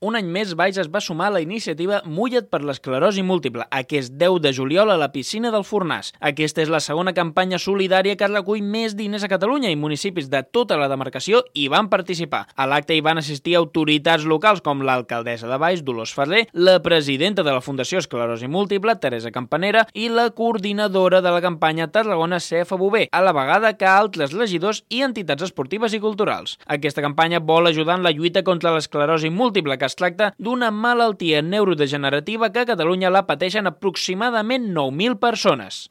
Un any més, Valls es va sumar a la iniciativa Mulla't per l'esclerosi múltiple, aquest 10 de juliol a la piscina del Fornàs. Aquesta és la segona campanya solidària que recull més diners a Catalunya i municipis de tota la demarcació hi van participar. A l'acte hi van assistir autoritats locals com l'alcaldessa de Valls, Dolors Ferrer, la presidenta de la Fundació Esclerosi Múltiple, Teresa Campanera, i la coordinadora de la campanya Tarragona, Cefa Bové, a la vegada que altres regidors i entitats esportives i culturals. Aquesta campanya vol ajudar en la lluita contra l'esclerosi múltiple, que es tracta d'una malaltia neurodegenerativa que a Catalunya la pateixen aproximadament 9.000 persones.